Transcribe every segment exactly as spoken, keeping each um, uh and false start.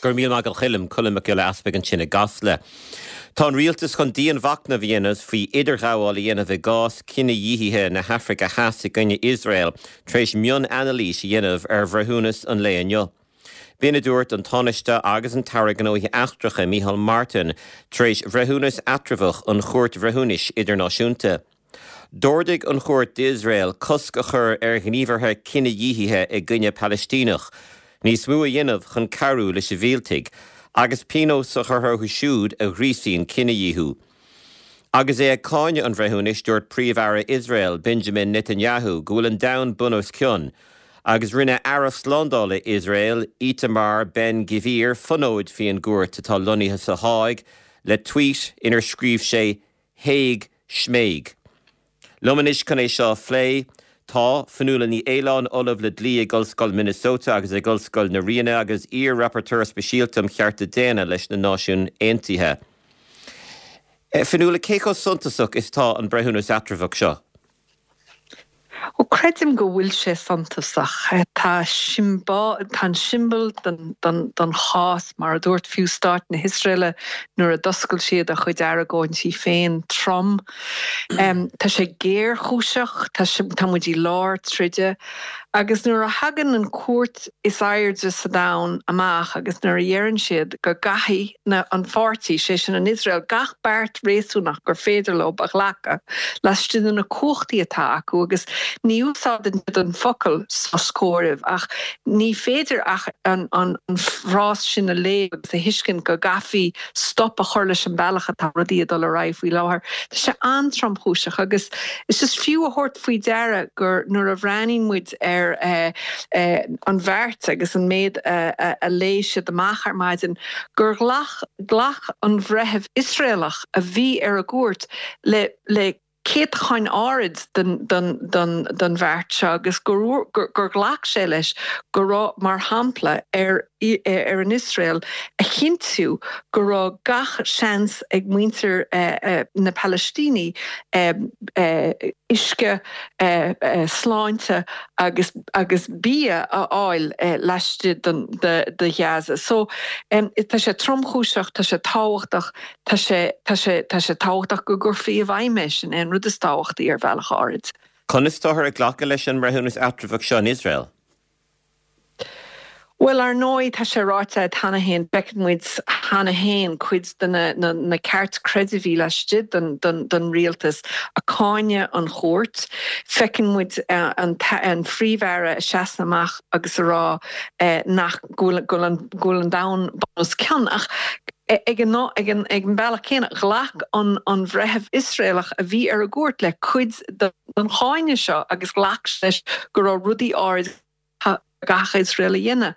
Go raibh míle maith agat Choilm Colm Mac Giolla Easpaig ansin i gCasla. Tá an rialtas chun dianmhachnamh a dhéanamh faoi idirghabháil a dhéanamh i gcás cinedhíothaithe na hAfraice Theas i gcoinne Iosrael tar éis mionanailís a dhéanamh ar bhreithiúnas an lae inniu. B'in a dúirt an Tánaiste agus an tAire Gnóthaí Eachtracha Micheál Martin tar éis bhreithiúnas eatramhach an Chúirt Bhreithiúnais Idirnáisiúnta. D'ordaigh an chúirt d'Iosrael cosc a chur ar ghníomhartha cinedhíothaithe i gcoinne Palaistíneach, níos mó a dhéanamh chun cabhrú le sibhialtaigh, agus pionós a chur orthu siúd a ghríosaíonn cinedhíothú. Agus é ag cáineadh an bhreithiúnais dúirt Príomh-Aire Iosrael Benjamin Netanyahu go bhfuil an domhan bun os cionn, agus rinne Aire Slándála Iosrael Itamar Ben Gvir fonóid faoin gcúirt atá lonnaithe sa Háig le tweet inar scríobh sé Hague Schmague. Liom anois chun é seo a phlé tá Fionnuala Ní Aoláin Ollamh le Dlí ag Ollscoil Minnesota agus ag Ollscoil na Ríona agus iar-rapporteur speisialta um chearta daonna leis na Náisiúin Aontaithe. Fionnuala cé chomh suntasach is atá an breithiúnas eatramhach seo. Ó creidim go bhfuil sé suntasach tá tá an siombail den, den, den chás mar a dúirt fiú stát na hIosraeile nuair a d'oscail siad a chuid argóintí féin trom. Um, tá sé géarchúiseach tá, tá muid i lár troda agus nuair a thagann an cúirt is airde sa domhan amach agus nuair a dheireann siad go gcaithfidh na an pháirtí sé sin an Iosrael gach beart réasúnach gur féidir leo a ghlacadh laistigh de na cumhachtaí atá acu agus ní úsáideann an focal sos comhairimh ach ní féidir ach an, an, an frás sin a léamh agus a thuiscint go gcaithfí stop a chur leis an bealach atá rudaí ag dul ar aghaidh faoi láthair. Tá sé an-tromchúiseach agus is is fiú a thabhairt faoi deara gur nuair a bhreathnaíonn muid ar eh, eh, an bheart agus an méid a, a, a léigh siad amach ar maidin gur ghlac ghlac an breitheamh Iosraelach a bhí ar a gcúirt le le céatadán ard den, den, den, den bheart seo agus gur, gur, gur ghlac sé leis go raibh mar shampla ar ar an Iosrael a chinntiú go raibh gach seans ag muintir uh, uh, na Palaistínigh uh, uh, uisce uh, uh, sláinte agus agus bia a fháil uh, laistigh den de, de Ghaza. So um, tá sé tromchúiseach tá sé tábhachtach tá sé tá sé tá sé tábhachtach go gcuirfí i bhfeidhm sin an rud is tábhachtaí ar bhealach áirid. Conas táthar ag glacadh leis an mbreithiúnas eatramhach seo in Iosrael? Well ar ndóigh tá sé ráite cheana féin feiceann muid cheana féin cuid de na, na, na ceartchreidmhigh laistigh den, den, den rialtas ag cáineadh an chúirt, Feiceann muid uh, an, an Príomh-Aire seasamh amach agus a rá uh, nach go bhfuil an, an domhan bun os cionn ach ag an ag an ag an bealach céanna ghlac an an bhreitheamh Iosraelach a bhí ar a gcúirt le cuid den cháineadh seo agus ghlac leis go raibh rudaí áirid gach Iosrael a dhéanamh.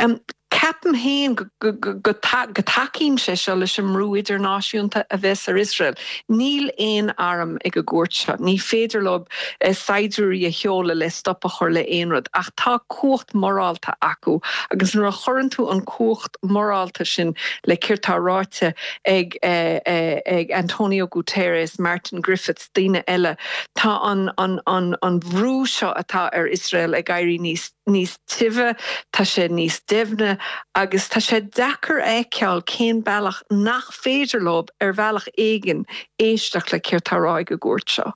Um, Ceapaim féin go dtacaíonn sé seo leis an mbrú idirnáisiúnta a bheas ar Iosrael. Níl aon arm ag an gcúirt seo, ní féidir leo eh, saighdiúirí a sheoladh le stop a chur le aon rud, ach tá cumhacht morálta acu, agus nuair a chuireann tú an cumhacht morálta sin le céard atá ráite ag, eh, eh, ag Antonio Guterres, Martin Griffiths, daoine eile, tá an, an, an, an brú seo atá ar Iosrael ag éirí níos níos tibhe, tá sé níos doimhne agus tá sé deacair a fheiceáil cén bealach nach féidir leo ar bhealach éigin éisteacht le céard atá á rá ag an gcúirt seo.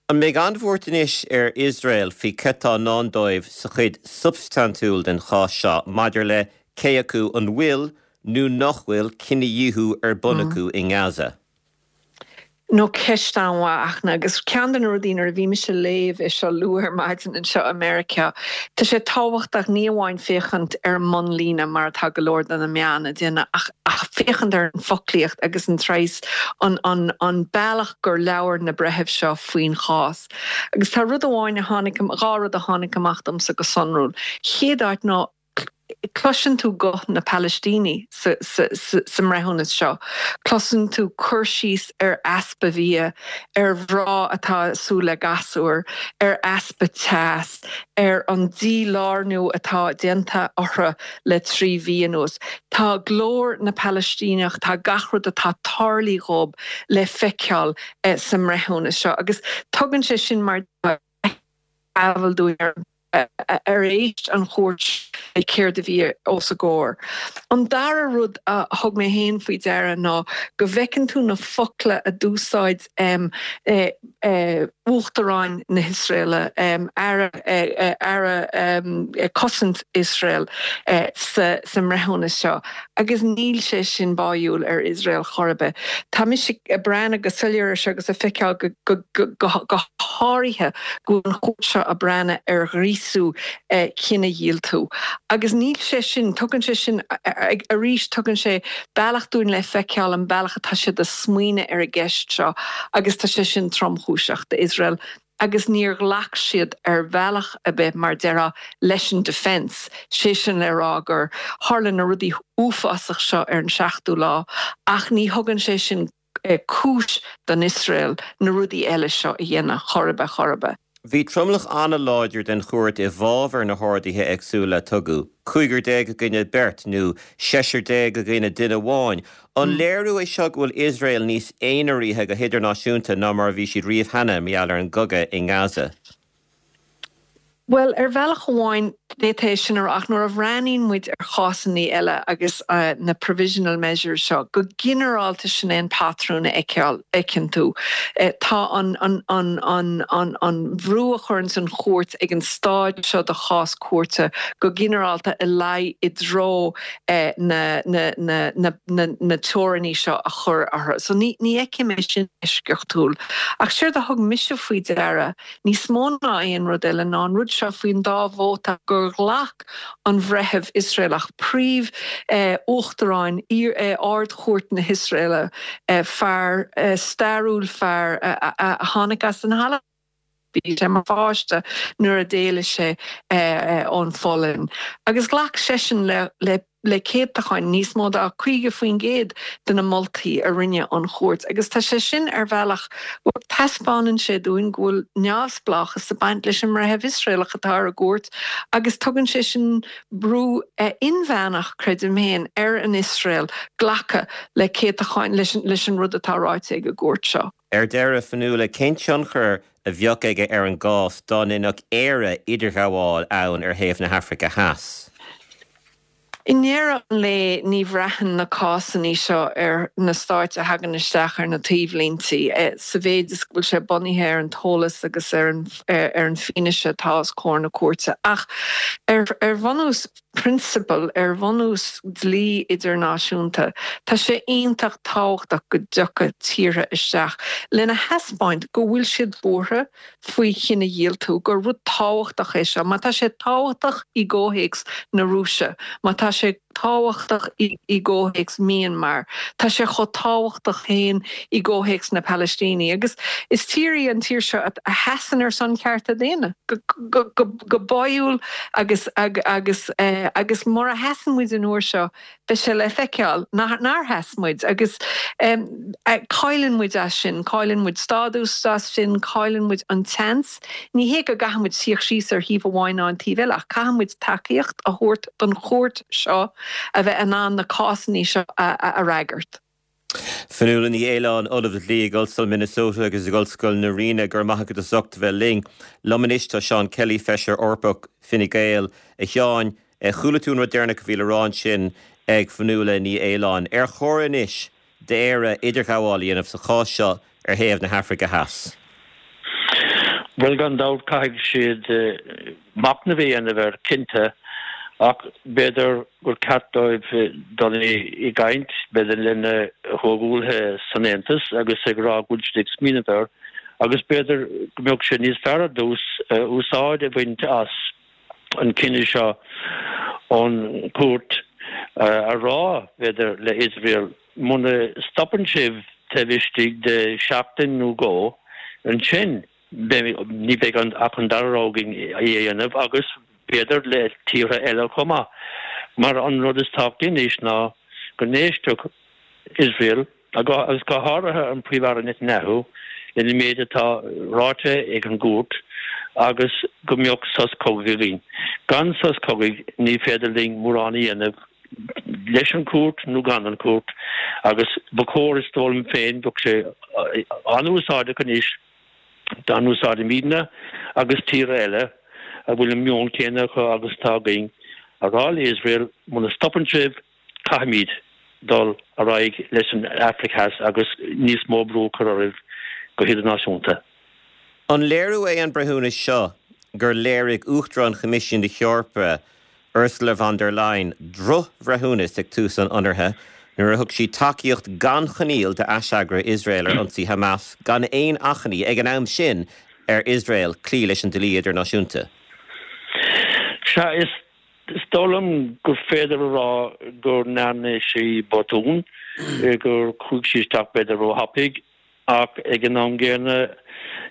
An mbeidh an-bhuairt anois ar Iosrael faoi cad atá i ndán dóibh sa chuid substaintiúil den chás seo maidir le cé acu an bhfuil nó nach bhfuil cinedhíothú ar bun acu mm. i nGaza. No ceist an-mhaith agus ceann de na rudaí a bhí mise ag léamh é seo luath ar maidin anseo i Meiriceá. Tá sé tábhachtach ní amháin féachaint ar an mbunlíne mar atá go leor de na meáin ag déanamh ach, ach féachaint ar an foclaíocht agus an tras an, an, an bealach gur labhair na breithimh seo faoin chás. Agus tá rud amháin a tháinig dhá rud a tháinig amach domsa go sonrúil. Chéad áit ná Cloiseann tú guth na Palaistínigh sa, sa, sa, sa mbreithiúnas seo. Cloiseann tú cur síos ar easpa bia, ar mhná atá ag súil le gasúr, ar easpa teas, ar an dílárnú atá déanta orthu le trí mhí anuas. Tá glór na Palaistíneach tá gach rud atá tarlaithe dóibh le feiceáil eh, sa mbreithiúnas seo, agus tugann sé sin mar ábhar dúinn ar ar éist an chúirt le céard a bhí os a gcomhair. An dara rud a thug mé féin faoi deara ná go bhfeiceann tú na focla a d'úsáid um, eh, eh, Uachtarán na hIosraeile um, Aire, eh, Aire um, Cosaint Iosrael eh, sa, sa mbreithiúnas seo. Agus níl sé sin báúil ar Iosrael chor ar bith. Tá mise ag breathnú go soiléir agus ag feiceáil go, go, go, go, go háirithe go an chúirt seo ag breathnú ar ghríosú eh, cinedhíoltú. Agus níl sé sin tugann sé sin arís tugann sé bealach dúinn le feiceáil an bealach atá siad ag smaoineamh ar an gceist seo agus tá sé sin tromchúiseach d'Iosrael agus níor ghlac siad ar bhealach ar bith mar deire leis an defence, sé sin le rá gur tharla na rudaí uafásach seo ar an seachtú lá, ach ní thugann sé sin eh, cúis don Iosrael na rudaí eile seo a dhéanamh chor ar bith chor ar bith. Bhí tromlach an-láidir den chúirt i bhfabhar na horduithe éagsúla a tugadh, cúigear déag i gcoinne beirt nó seisear déag i gcoinne duine amháin. An mm. léiriú é seo go bhfuil Iosrael níos aonaraithe go hidirnáisiúnta ná mar a bhí siad riamh cheana mar gheall ar an gcogadh i nGaza. Well ar bhealach amháin d'fhéadfaí sin ach nuair a bhreathnaíonn muid ar chásanna eile agus uh, na provisional measures seo, go ginearálta sin é an patrún a fheiceann tú. Uh, tá an, an, an, an, an, an brú a chuireann an chúirt ag an staid seo de chás cúirte go ginearálta i lei i dtreo uh, na, na, na, na, na, na teorainní seo a chur orthu. So ní, ní fheicim é sin eisceachtúil. Ach séard a thug mise faoi deara, níos mó ná aon rud eile ná an rud seo faoin dá vóta gur ghlac an bhreitheamh Iosraelach príomh eh, uachtarán eh, ardchúirt na hIosraeile eh, fear eh, stairiúil fear eh, a, a, a tháinig as an halla. Bhí sé mar pháiste nuair a d'éalaigh sé eh, ón Pholainn. Agus ghlac seisean le, le le céatacháin níos mó ná caoga faoin gcéad de na moltaí a rinne an chúirt. Agus tá sé sin ar bhealach taispeánann sé dúinn go bhfuil neamhspleáchas ag baint leis an mbreitheamh Iosraelach atá ar an gcúirt, agus tugann sé sin brú eh, inmheánach creidim féin ar an Iosrael glacadh le céatacháin leis, leis an rud atá ráite ag an gcúirt seo. Ar deireadh Fionnuala cén tionchar a bheadh aige ar an gcás dá ndéanfadh Éire idirghabháil ann ar thaobh na hAfraice Theas. I ndeireadh an lae ní bhraitheann na cásanna seo ar na stáit a thagann isteach ar na taobhlíntí eh, sa mhéid is bhfuil sé bunaithe ar an eolas agus ar an ar an bhfianaise atá os comhair na cúirte. Ach ar, ar bhunús prionsabal ar bhunús dlí idirnáisiúnta, Tá sé iontach tábhachtach go dtiocfadh tíortha isteach lena thaispeáint go bhfuil siad buartha faoi chinedhíoltú gur rud tábhachtach é seo, má tá sé tábhachtach i gcomhthéacs na Rúise, má tá sé tábhachtach i, i gcomhthéacs Myanmar, Tá sé chomh tábhachtach féin i gcomhthéacs na Palaistíne. agus is tír í an tír seo a sheasann ar son cearta daonna go, go, go, go báúil agus ag, agus eh, agus mura sheasann muid an uair seo beidh sé le feiceáil nár sheas muid agus um, cailleann muid as sin, cailleann muid stádas as sin, cailleann muid an seans, Ní hé go gcaithfidh muid suí síos ar thaobh amháin ná an taobh eile ach caithfidh muid tacaíocht a thabhairt don chúirt seo a bheith in ann na cásanna seo a, a, a fhreagairt. Fionnuala Ní Aoláin Ollamh Dlí ag Ollscoil Minnesota agus ag Ollscoil na Ríona gur maith go socht bheith linn. Liom anois tá Seán Kelly feisire Eorpach Fine Gael a Sheáin chuala tú an rud deireanach a bhí le rá ansin ag Fionnuala Ní Aoláin. Ar chóir anois d'Éire idirghabháil a dhéanamh sa chás seo ar thaobh na hAfraice Theas. Well gan dabht caithfidh siad machnamh a dhéanamh air cinnte ach b'fhéidir gur ceart dóibh dul i gcaint b'fhéidir lena gcomhghuaillithe san Aontas agus ag rá go bhfuil siad ag smaoineamh air agus b'fhéidir go mbeadh sé níos fearr ar dtús úsáid a bhaint as an cinneadh seo ón gcúirt a rá b'fhéidir le Israel muna stopann sibh taobh istigh de seachtain nó dhó ansin ní bheidh an ach an dara rogha againn é a dhéanamh agus b'fhéidir le tíortha eile chomh maith. Mar an rud is tábhachtaí anois ná go n-éistfeadh Israel agus go háirithe an Príomh-Aire Netanyahu lena méid atá ráite ag an gcúirt agus go mbeadh sos cogaidh againn. Gan sos cogaidh ní féidir linn mórán a dhéanamh leis an gcúirt nó gan an chúirt agus ba chóir is dóigh liom féin bheadh sé an-úsáideach anois dá n-úsáidfimidne agus tíortha eile a bhfuil an meon céanna acu agus atá againn a rá le Iosrael, muna stopann sibh, caithfimid dul ar aghaidh leis an Afraic Theas agus níos mó brú a chur oraibh go hidirnáisiúnta. An léiriú é an breithiúnas seo gur léirigh Uachtarán Choimisiún na hEorpa, Ursula von der Leyen, drochbhreithiúnas ag tús an ionraithe nuair a thug sí tacaíocht gan choinníoll d'aiseagra Iosrael ar ionsaí Hamas gan aon achainí ag an am sin ar Iosrael cloí leis an dlí idirnáisiúnta? Sea, is is dóigh liom gur féidir a rá go ndearna sí botún, gur chuaigh sí isteach b'fhéidir róthapaidh. Ach ag an am gcéanna,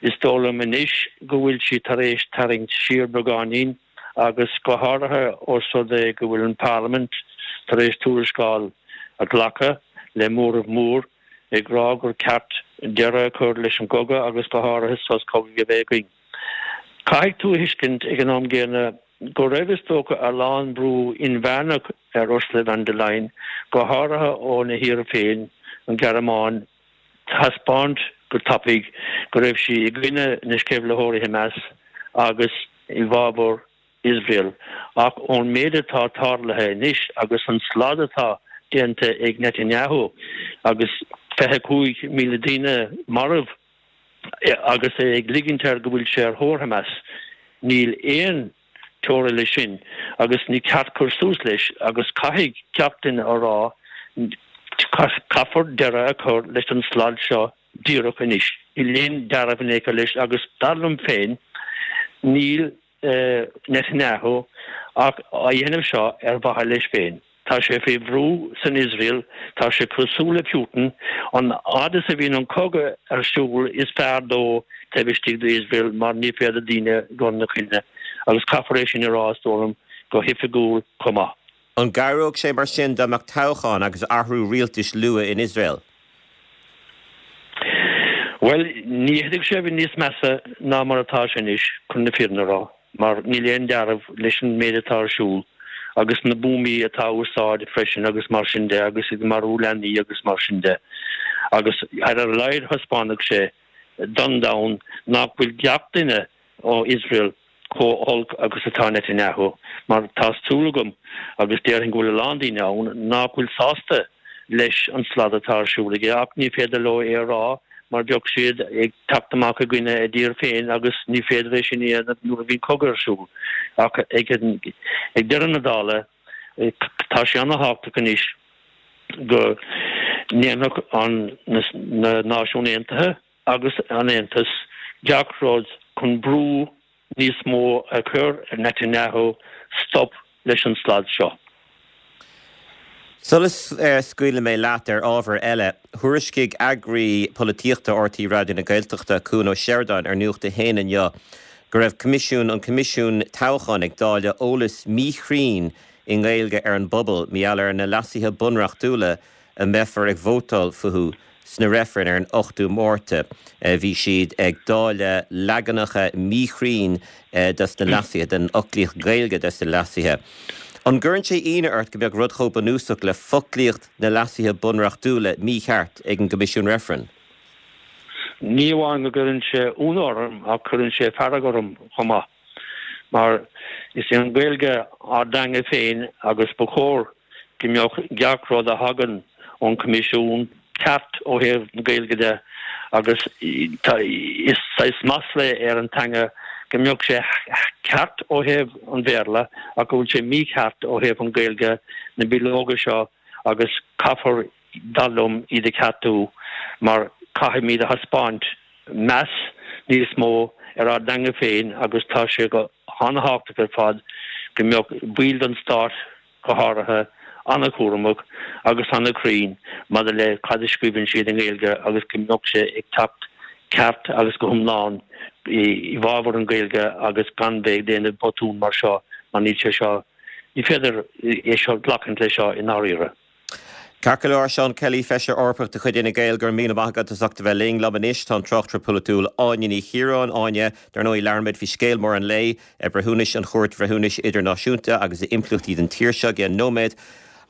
is dóigh liom anois go bhfuil sí tar éis tarraingt siar beagáinín agus go háirithe ós rud é go bhfuil an Pharlaimint tar éis tuarascáil a ghlacadh le móramh mór ag rá gur ceart deireadh a chur leis an gcogadh agus go háirithe sos cogaidh a bheith againn. Caithfidh tú a thuiscint ag an am gcéanna go raibh is dócha a lán brú inmheánach ar Ursula von der Leyen, go háirithe óna thír féin, an Ghearmáin, thaispeáint go tapaidh go raibh sí i gcoinne na sceimhlitheoirí Hamas agus i bhfabhar Iosrael. Ach ón méid atá tarlaithe anois agus an slad atá déanta ag Netanyahu agus fiche cúig míle daoine marbh agus é ag ligint air go bhfuil sé ar thóir Hamas, níl aon teora leis sin agus ní ceart cur suas leis agus caithfidh gach duine a rá caithfear deireadh a chur leis an slad seo díreach anois. Níl aon dealramh in aon chor leis agus dar liom féin níl Netanyahu ach á dhéanamh seo ar mhaithe leis féin. Tá sé faoi bhrú san Iosrael, tá sé cosúil le Putin, an fhad is a bhíonn an cogadh ar siúl is fearr dó taobh istigh d'Iosrael mar ní féidir daoine a chur ina choinne agus caithfear é sin a rá is dóigh liom go hoifigiúil chomh maith. An gcabhródh sé mar sin dá mbeadh toghchán agus athrú rialtais luath in Iosrael? Bhuel, ní fhéadfadh sé a bheith níos measa ná mar atá sé anois, chun na fírinne a rá, mar níl aon dealramh leis an méid atá ar siúl. agus na buamaí atá á úsáid freisin agus mar sin de agus ag marú leanaí agus mar sin de. Agus ar a laghad thaispeánfadh sé don domhan nach bhfuil gach duine ó Iosrael chomh holc agus atá Netanyahu mar tá súil agam agus déarfainn go bhfuil a lán daoine ann nach bhfuil sásta leis an slad atá ar siúl aige ach ní féidir leo é a rá mar bheadh siad ag teacht amach i gcoinne a dtír féin agus ní féidir é sin a dhéanamh nuair a bhíonn cogadh ar siúl. Ach ag deireadh na dála, tá sé ana-thábhachtach anois go ndéanfadh an na Náisiúin Aontaithe agus an Aontas gach rud chun brú níos mó a chur ar Netanyahu stop leis an slad seo. Sula scaoilfidh mé leat ar ábhar eile, thuairiscigh eagraí polaitíochta RTÉ Raidió na Gaeltachta, Cuan Ó Seireadáin, ar Nuacht a hAon inniu go raibh Coimisiún an Coimisiún Toghcháin ag dáileadh eolas míchruinn i nGaeilge ar an bpobal mar gheall ar na leasuithe bunreachtúla a mbeifear ag vótáil fúthu sna reifrinn ar an ochtú Márta. Bhí siad ag dáileadh leaganacha míchruinn des na leasuithe, den fhoclaíocht Ghaeilge des na leasuithe. An gcuireann sé ionadh ort go mbeadh rud chomh bunúsach le foclaíocht na leasuithe bunreachtúla mícheart ag an gCoimisiún Reifrinn? Ní amháin go gcuireann sé ionadh orm ach cuireann sé fearg orm chomh maith. Mar is í an Ghaeilge ár dteanga féin agus ba chóir go mbeadh gach rud a thagann ón Choimisiún ceart ó thaobh na Gaeilge de agus is saghas masla é ar an teanga go mbeadh sé ceart ó thaobh an Bhéarla ach go bhfuil sé mícheart ó thaobh an Ghaeilge, na bileoga seo agus caithfear dar liom iad a cheartú mar caithfimid a thaispeáint meas níos mó ar ár dteanga féin agus tá sé go han-thábhachtach ar fad go mbeadh baill den stát go háirithe, an-chúramach agus an-chruinn maidir le cad a scríobhann siad i nGaeilge agus go mbeadh sé ag teacht ceart agus go hiomlán i bhfabhar an Ghaeilge agus gan bheith ag déanamh botún mar seo mar níl sé seo, ní féidir é seo glacaint leis seo i ndáiríre. Ceart go leor, Seán Kelly, Feisire Eorpach de chuid Fhine Gael, go raibh míle maith agat as ucht a bheith linn. Liom anois tá an tráchtaire polaitiúil Áine Ní Chiaráin. Áine, dar ndóigh labhróimid faoi scéal mór an lae, breithiúnais an Chúirt Bhreithiúnais Idirnáisiúnta agus a impleachtaí don tír seo i gceann nóiméad.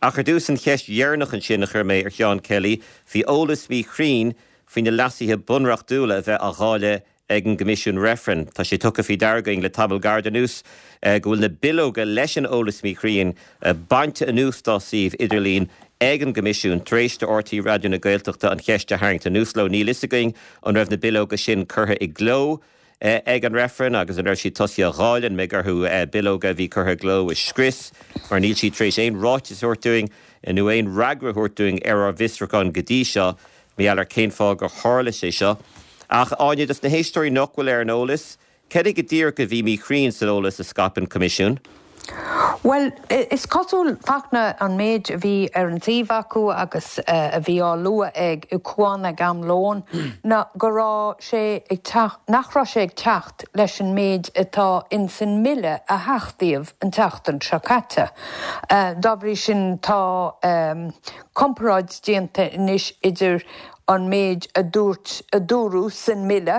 Ach ar dtús an cheist dheireanach ansin a chuir mé ar Sheán Kelly faoi eolas míchruinn faoi na leasuithe bunreachtúla a bheith á dháileadh ag an gCoimisiún Reifrinn. Tá sé tugtha faoi deara againn le tamall gairid anuas go bhfuil na bileoga leis an eolas míchruinn bainte anuas dá suíomh idirlín ag an gCoimisiún tar éis do R T Raidió na Gaeltachta an cheist a tharraingt anuas leo. Níl a fhios againn an raibh na bileoga sin curtha i gcló ag an reifreann agus an raibh siad tosaithe á dháileadh, an mbeidh orthu bileoga a bhí curtha i gcló a scrios mar níl siad tar éis aon ráiteas a thabhairt dúinn nó aon fhreagra a thabhairt dúinn ar ár bhfiosrúchán go dtí seo mar gheall ar cén fáth gur tharla sé seo. Ach Áine, dos na héisteoirí nach bhfuil ar an eolas, cad é go díreach a bhí míchruinn san eolas a scaip an Coimisiún? Bhuel, is cosúil Fachtna an méid a bhí ar an suíomh acu agus a bhí á lua ag Cuan ag am lóin ná go raibh sé ag teacht, nach raibh sé ag teacht leis an méid atá ins an mbille a hachtaíodh an tseachtain seo caite. Dá bhrí sin tá comparáid déanta anois idir an méid a dúirt, a dúradh san mbille,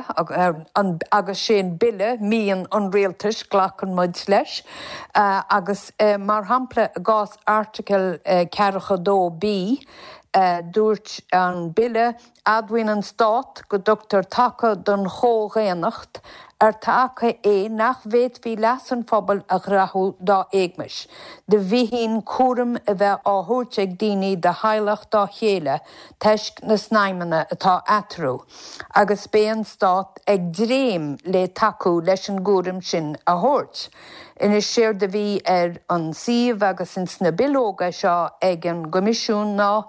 agus sé an bille mian an rialtais, glacann muid leis, agus mar shampla i gcás Airteagal ceathracha dó B, dúirt an bille, Admhaíonn an Stát go dtugtar taca don chomhdhaonnacht, ar taca é nach bhféadfaí leas an phobail a ghnóthú dá éagmais, de bhíthin cúram a bheith á thabhairt ag daoine de theaghlach dá chéile toisc na snaidhmeanna atá eatarthu, agus beidh an Stát ag dréim le tacú leis an gcúram sin a thabhairt. Anois séard a bhí ar an suíomh agus ins na bileoga seo ag an gCoimisiún ná,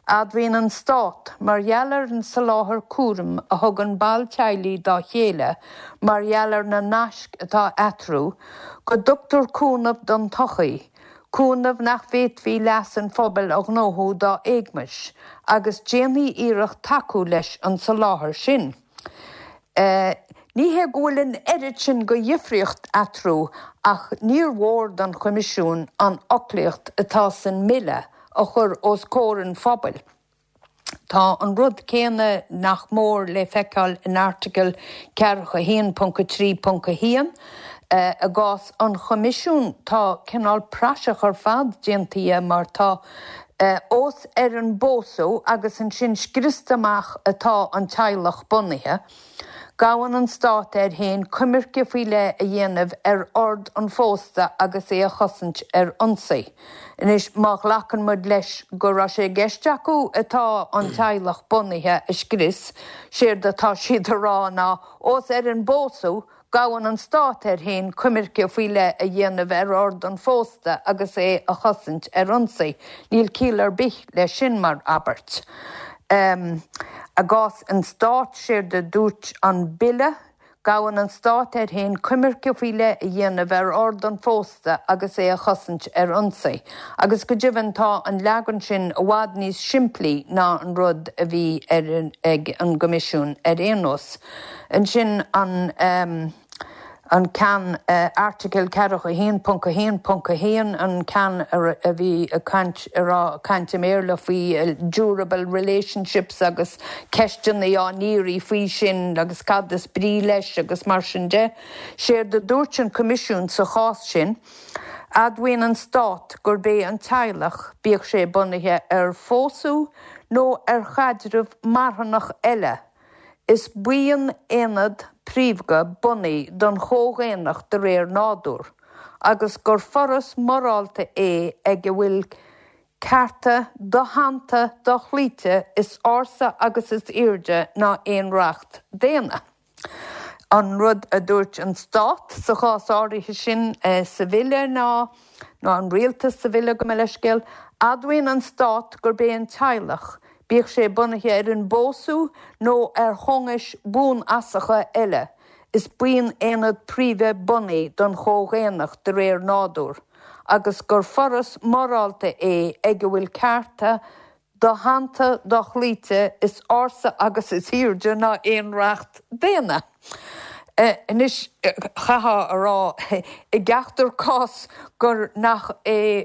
Admhaíonn an Stát, mar gheall ar an soláthar cúraim a thugann baill teaghlaigh dá chéile mar gheall ar na naisc atá eatarthu, go dtugtar cúnamh don tsochaí, cúnamh nach bhféadfaí leas an phobail a ghnóthú dá éagmais, agus déanfaidh iarracht tacú leis an soláthar sin. Ní hé go bhfuil an oiread sin de dhifríocht eatarthu ach níor mhór don Choimisiún an fhoclaíocht atá san mBille a chur os comhair an phobail. Tá an rud céanna nach mór le feiceáil in Airteagal ceathracha a haon ponc a trí ponc a haon. I gcás an Choimisiúin tá cineál praiseach ar fad déanta dhe mar tá ós ar an bpósadh agus ansin scriosta amach atá an teaghlach bunaithe. Gabhann an Stát air féin coimirce faoi leith a dhéanamh ar ord an phósta agus é a chosaint ar ionsaí. Anois, má ghlacann muid leis go raibh sé i gceist acu atá an teaghlach bunaithe a scrios, séard atá siad a rá ná, ós ar an bpósadh, Gabhann an Stát air féin coimirce faoi leith a dhéanamh ar ord an phósta agus é a chosaint ar ionsaí. Níl ciall ar bith leis sin mar abairt. I gcás an Stáit, séard a dúirt an Bille, gabhann an Stát air féin coimirce faoi leith a dhéanamh ar ord an phósta agus é a chosaint ar ionsaí. Agus go deimhin tá an leagan sin i bhfad níos simplí ná an rud a bhí ag an gCoimisiún ar aon nós. Ansin an an ceann Airteagal ceathracha a haon ponc a haon ponc a haon, an ceann a bhí ag caint a raibh caint i mBéarla faoi durable relationships agus ceisteanna á n-iarraidh faoi sin agus cad is brí leis agus mar sin de. Séard a dúirt an Coimisiún sa chás sin, admhaíonn an Stát gurb é an teaghlach, bíodh sé bunaithe ar phósadh nó ar chaidreamh marthanach eile, Is buíon-aonad príomha bunaidh don chomhdhaonnacht de réir nádúir, agus gur foras morálta é ag a bhfuil cearta doshannta dochloíte is ársa agus is airde ná aon reacht daonna. An rud a dúirt an Stát sa chás áirithe sin sa Bhille ná, nó an Rialtas sa Bhille, gabh mo leithscéal, admhaíonn an Stát gurb é an teaghlach, bíodh sé bunaithe ar an bpósadh nó ar cheanglais bhuanfhasacha eile, is buíon-aonad príomha bunaidh don chomhdhaonnacht de réir nádúir, agus gur foras morálta é ag a bhfuil cearta doshannta dochloíte is ársa agus is airde ná aon reacht daonna. Anois, chaithfeá a rá i gceachtar cás gur nach é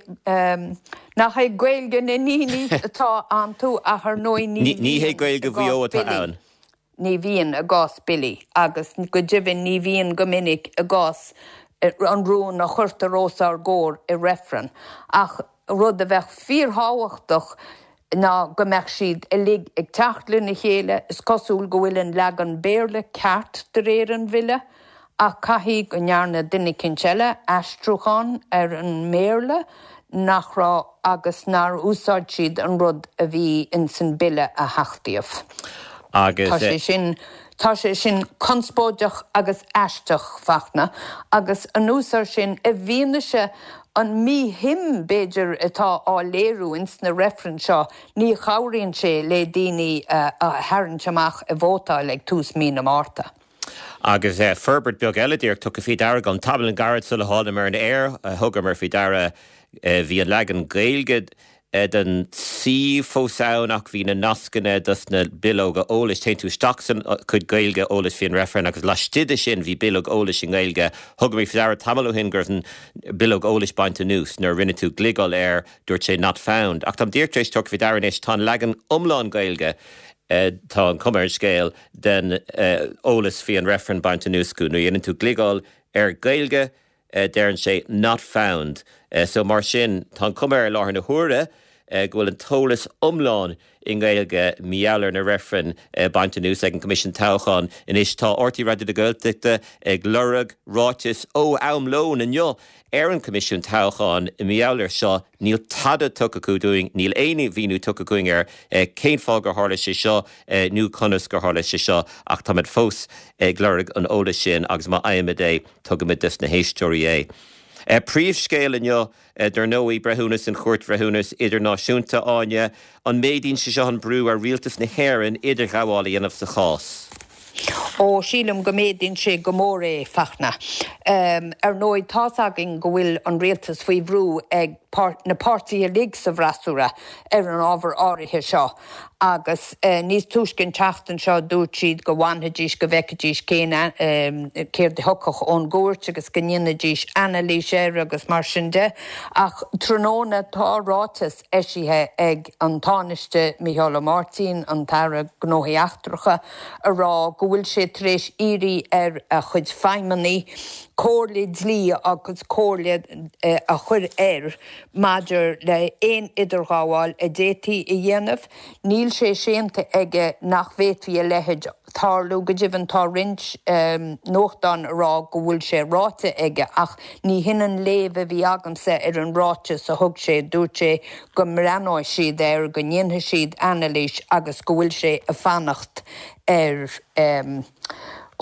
nach é Gaeilge na ndaoine atá iontu ach ar ndóigh ní Ní bhíonn hé i Gaeilge Mhaigh gcás Eo atá billí. ann. Ní bhíonn i gcás billí agus go deimhin ní bhíonn go minic i gcás an rún a chuirtear os ár gcomhair i reifreann. Ach rud a bheadh fíorthábhachtach, ná go mbeadh siad uilig ag teacht lena chéile. Is cosúil go bhfuil an leagan Béarla ceart de réir an bhille, ach caithfidh go ndearna duine eicínt eile aistriúchán ar an mBéarla nach raibh agus nár úsáid siad an rud a bhí ins an bille a hachtaíodh. Agus Tá sé sin Tá sé sin conspóideach agus aisteach, Fachtna, agus anuas air sin i bhfianaise an mhíshuim b'fhéidir atá á léiriú ins na reifrinn seo, ní chabhraíonn sé le daoine a tharraingt amach ag vótáil ag tús mí na Márta. Agus forbairt beag eile díreach tugtha faoi deara agam tamall gairid sula thánamar ar an aer, thugamar faoi deara bhí an leagan Gaeilge den suíomh fós ann ach bhí na nascanna dos na bileoga eolais. Téann tú isteach san chuid Gaeilge eolais faoin reifreann agus laistigh de sin bhí bileog eolais i nGaeilge. Thugamar faoi deara tamall ó shin go raibh an bileog eolais bainte anuas nuair a rinne tú gliogáil air dúirt sé not found. Ach táim díreach tar éis tabhairt faoi deara anois tá an leagan iomlán Gaeilge tá an chuma ar an scéal den eolas faoi an reifreann bainte anuas acu. Nuair a dhéanann tú gliogáil ar Gaeilge deireann sé not found. So mar sin tá an chuma ar láthair na huaire go bhfuil an t-eolas iomlán i nGaeilge mar gheall ar na reifrinn bainte anuas ag an Coimisiún Toghcháin. Anois tá R T Raidió na Gaeltachta ag lorg ráiteas ó am lóin inniu ar an Coimisiún Toghcháin i mar gheall air seo níl tada tugtha acu dúinn, níl aon mhíniú tugtha againn ar cén fáth gur tharla sé seo nó conas gur tharla sé seo ach táimid fós ag lorg an eolais sin agus má fhaighimid é tugaimid dos na héisteoirí é. Príomhscéal inniu dar ndóigh breithiúnas an Chúirt Bhreithiúnas Idirnáisiúnta Áine an méadaíonn sé seo an brú ar rialtas na hÉireann idirghabháil a dhéanamh sa chás. Ó sílim go méadaíonn sé go mór é Fachtna. Ar ndóigh tá's againn go bhfuil an rialtas faoi bhrú ag na páirtithe uilig sa bhfreasúra ar an ábhar áirithe seo agus níos túisce an tseachtain seo dúirt siad go bhfanfaidís go bhfeicfidís cén céard a thiocfadh ón gcúirt agus go ndéanfaidís anailís air agus mar sin de. Ach tráthnóna tá ráiteas eisithe ag an Tánaiste Micheál Ó Máirtín, an tAire Gnóthaí Eachtracha, a rá go bhfuil sé tar éis iarraidh ar a chuid feidhmeannaigh comhairle dlí agus comhairle a chur air maidir le haon idirghabháil a d'fhéadfaí a dhéanamh. Níl sé séanta aige nach bhféadfaí a leithéid tarlú go deimhin tá roinnt nuachtán a rá go bhfuil sé ráite aige ach ní hin an léamh a bhí agamsa ar an ráiteas a thug sé dúirt sé go mbreathnóidh siad air go ndéanfaidh siad anailís agus go bhfuil sé ag fanacht ar um,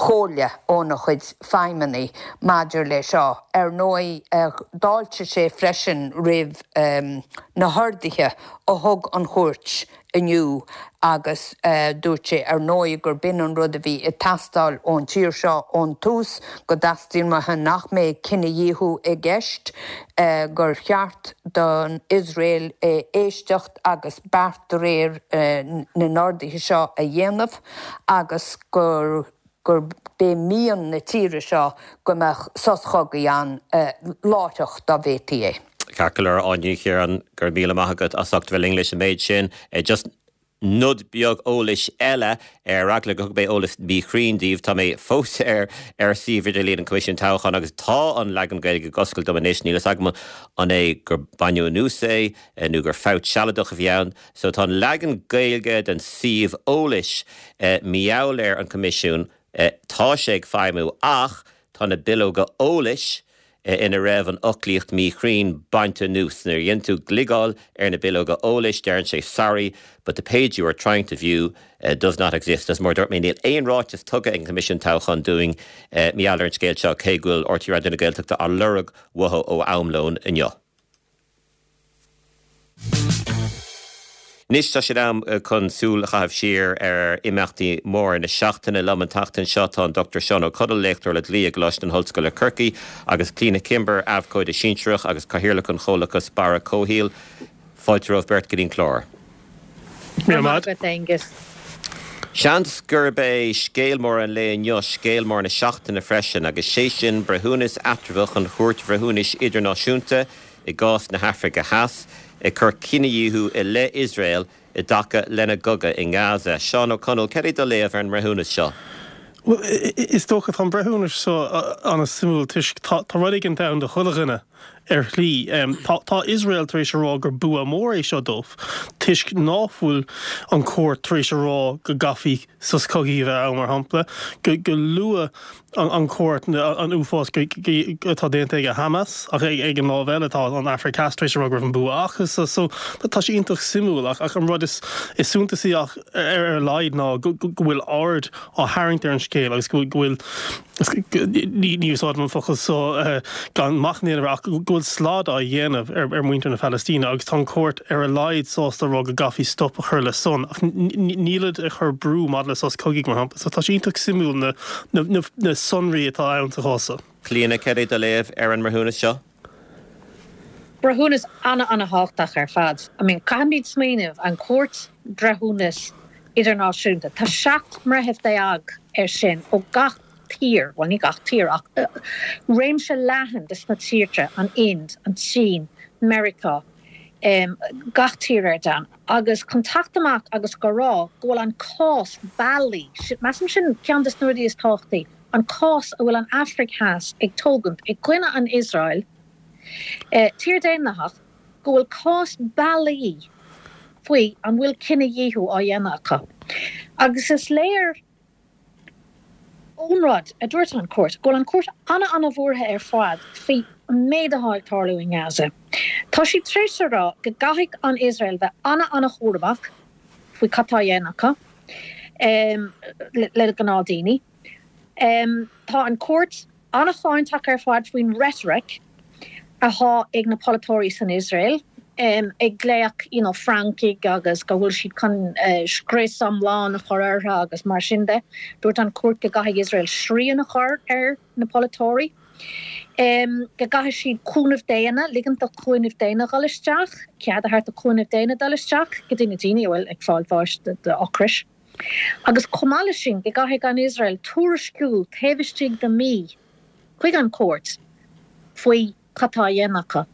chomhairle óna chuid feidhmeannaigh maidir le seo. Ar ndóigh d'fháiltigh sé freisin roimh um, na horduithe a thug an chúirt inniu agus uh, dúirt sé ar ndóigh gur b'in an rud a bhí ag teastáil ón tír seo ón tús go dteastaíonn uathu nach mbeadh cinedhíothú i gceist uh, gur cheart don Iosrael uh, éisteacht agus beart de réir uh, na n-orduithe seo a dhéanamh agus gur gur b'é mian na tíre seo go mbeadh sos cogaidh ann uh, láithreach dá bhféadfaí é. Ceart go leor Áine Ní Chiaráin go raibh míle maith agat as ucht bheith linn leis an méid sin. Just nod beag eolais eile ar eagla go mbeidh eolas míchruinn daoibh tá mé fós ar ar suíomh idirlín an Coimisiún Toghcháin agus tá an leagan Gaeilge ag oscailt dom anois níl a fhios agam an é gur baineadh anuas é nó gur fabht sealadach a bhí ann, so tá an leagan Gaeilge den suíomh eolais mar gheall ar an Coimisiún tá sé ag feidhmiú ach tá na bileoga eolais ina raibh an fhoclaíocht míchruinn bainte anuas nuair a dhéanann tú gliogáil ar na bileoga eolais deireann sé sorry, but the page you are trying to view uh, does not exist. As mar dúirt mé níl aon ráiteas tugtha ag an Coimisiún Toghcháin dúinn uh, mar gheall ar an scéal seo cé go bhfuil R T Raidió na Gaeltachta á lorg uathu ó am lóin inniu. Anois tá sé am chun súil a chaitheamh siar ar imeachtaí móra na seachtaine liom an tseachtain seo tá an Dochtúir Seán Ó Conaill léachtóir le dlí i gColáiste na hOllscoile Corcaigh agus Clíona Kimber abhcóide sinsearach agus cathaoirleach an Chomhlachais Barra Comhshaoil. Fáilte romhaibh beirt go dtí an clár. Míle maith agat, Aengus. Seans gurb é scéal mór an lae inniu scéal mór na seachtaine freisin agus sé sin breithiúnas eatramhach an Chúirt Bhreithiúnais Idirnáisiúnta i gcás na hAfraice Theas ag cur cinedhíothú i leith Iosrael i dtaca lena gcogadh i nGaza. Seán Ó Conaill, cad é do léamh ar an mbreithiúnas seo? Well, is dócha tá an breithiúnas seo an-suimiúil toisc tá rud éigin ann do chuile dhuine ar shlí. Tá tá Iosrael tar éis a rá gur bua mór é seo dóibh toisc ná fuil an chúirt tar éis a rá go gcaithfí sos cogaidh a bheith ann mar shampla, go go luaigh an chúirt an uafás atá déanta ag Hamas ach ag an lámh eile tá an Afraic Theas tar éis a rá go raibh an bua acu so so tá sé iontach suimiúil ach ach an rud is is suntasaí ach ar ar laghad ná go go bhfuil aird á tharraingt ar an scéal agus go bhfuil ní úsáidim an focal so gan machnamh ach go bhfuil slad á dhéanamh ar ar muintir na Palaistíne agus tá an chúirt ar a laghad sásta rá go gcaithfí stop a chur le san ach nílid ag cur brú maidir le sos cogaidh mar shampla so tá sé iontach suimiúil na na na na sonraí atá ann sa chás seo. Clíona cad é do léamh ar an mbreithiúnas seo? Breithiúnas an-an-thábhachtach ar fad. I mean caithfimid smaoineamh an Chúirt Breithiúnas Idirnáisiúnta. Tá seacht mbreitheamh déag ar sin ó gach tír, well ní gach tír ach réimse leathan de na tíortha, an Ind, an tSín, Meiriceá, um, gach tír ar domhan. Agus chun teacht amach agus go rá go bhfuil an cás bailí, measaim sin ceann de na rudaí is tábhachtaí, an cás a bhfuil an Afraic Theas ag tógaint i gcoinne an Iosrael, eh, tír daonlathach, go bhfuil cás bailí faoi an bhfuil cinedhíothú á dhéanamh acu. Agus is léir ón rud a dúirt an chúirt, go bhfuil an chúirt an-an-bhuartha ar fad faoi an méid atá ag tarlú in Gaza. Tá sí tar éis a rá go gcaithfidh an Iosrael bheith an-an-chúramach faoi cad tá á dhéanamh acu um, le, le gnáthdhaoine. Um, tá an chúirt an-cháinteach ar fad faoin rhetoric atá ag na polaiteoirí san Iosrael, um, ag glaoch you know, Francaigh agus go bhfuil siad chun uh, scrios iomlán a chur orthu agus mar sin de. Dúirt an chúirt go gcaithfidh Iosrael srian a chur ar na polaiteoirí. Um, go gcaithfidh siad cúnamh daonna, ligint do chúnamh daonna dul isteach, cead a thabhairt do chúnamh daonna dul isteach, go dtí na daoine a bhfuil ag fáil bháis d'ocras. Agus chomh maith leis sin go gcaithfidh an Iosrael tuairisciú taobh istigh de mí chuig an chúirt faoi cad tá á dhéanamh acu.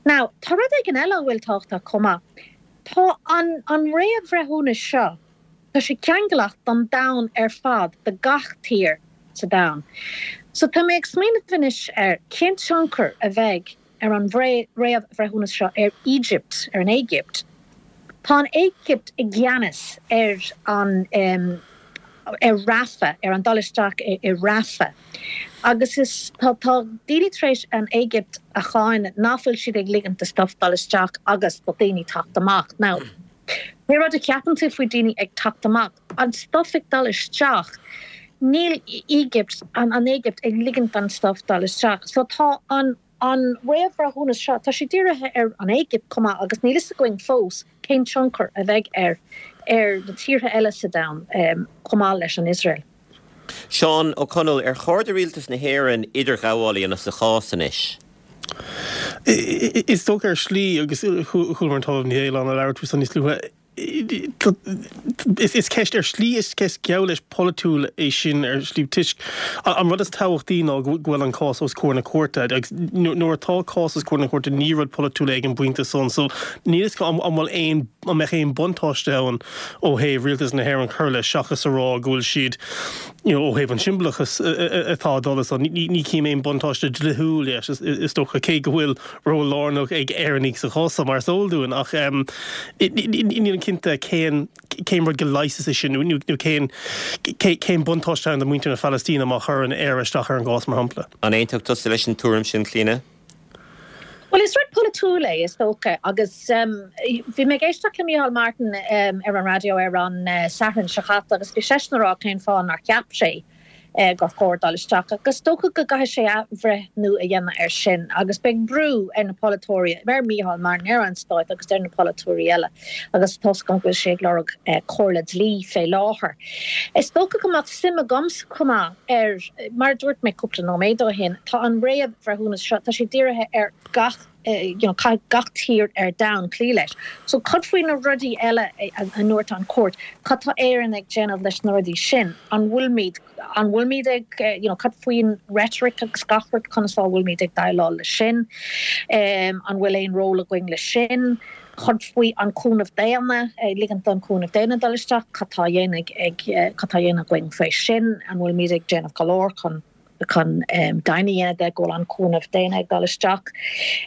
Now, tá rud éigin eile a bhfuil tábhachtach chomh maith. Tá an, an réamhbhreithiúnas seo, tá sé ceangailteach don domhan ar fad do gach tír sa domhan. So tá mé ag smaoineamh anois ar cén tionchar a bheidh ar an réamhbhreithiúnas seo ar Egypt, ar an Éigipt. Tá an Éigipt i gceannas ar an um, ar Rafah, ar an dul isteach i, i Rafah. Agus is tá tá daoine tar éis an Éigipt a cháineadh nach bhfuil siad ag ligint do stuff dul isteach agus do daoine teacht amach. Now, pé rud a cheapann tú faoi daoine ag teacht amach, an stuff ag dul isteach, níl Egypt an an Éigipt ag ligint an stuff dul isteach. So tá an an réamhbhreithiúnas seo tá sé dírithe ar an Éigipt chomh maith agus níl a fhios againn fós cén tionchar a bheidh ar ar na tíortha eile sa domhan um, chomh maith leis an Iosrael. Seán Ó Conaill ar chóir do rialtas na hÉireann idirghabháil a dhéanamh sa chás anois. Is dócha ar shlí agus chuala an tOllamh Ní Fhaoláin ag labhairt faoi níos luaithe is is ceist ar shlí is ceist geall leis polaitiúil é sin ar shlí toisc an rud is tábhachtaí ná go bhfuil an cás os comhair na cúirte agus nuair atá cás os comhair na cúirte ní rud polaitiúil ag an bpointe san so níl a fhios an bhfuil aon an mbeadh aon buntáiste ann ó thaobh rialtas na hÉireann cur leis seachas a rá go bhfuil siad you know, ó thaobh an siombalachas atá dul so ní ní chím aon buntáiste dlíthiúil leis is, is dócha cé go bhfuil ról lárnach ag Éireannaigh sa chás mar is eol dúinn ach um, níl cinnte cén cén rud go leigheas é sin nó cén cén buntáiste do mhuintir na Palaistíne má chuireann Éire isteach ar an gcás mar shampla. An aontaíonn tusa leis an tuairim sin Clíona? Well is rud polaitiúil é is dócha agus um, bhí mé ag éisteacht le Micheál Martin um, ar an raidió ar an uh, Satharn seo caite agus bhí seisean ag rá cén fáth nár cheap sé uh, gur chóir dul isteach agus dócha go gcaithfidh sé athbhreithniú a dhéanamh ar sin agus beidh brú ar na polaiteoirí ar Micheál Martin ar an stát agus ar na polaiteoirí eile agus toisc go bhfuil sé ag lorg uh, comhairle dlí fé láthair. Is dócha go mbeadh suim agamsa chomh maith ar mar dúirt mé cúpla nóiméad ó shin tá an réamhbhreithiúnas seo tá sé dírithe ar gach uh, you know, gach tír ar domhan cloí leis. So cad faoi na rudaí eile a dúirt an chúirt, Cad tá Éire ag déanamh leis na rudaí sin, an bhfuilmid an bhfuilmid ag you know, cad faoin rhetoric agus gach rud conas a bhfuilmid ag déileáil le sin, um, an bhfuil aon ról againn le sin, Cad faoi an cúnamh daonna ligint don cúnamh daonna dul isteach cad tá ag ag cad tá againn faoi sin an bhfuilmid ag déanamh go leor chun chun um, deimhin a dhéanamh de go bhfuil an cúnamh daonna ag dul isteach.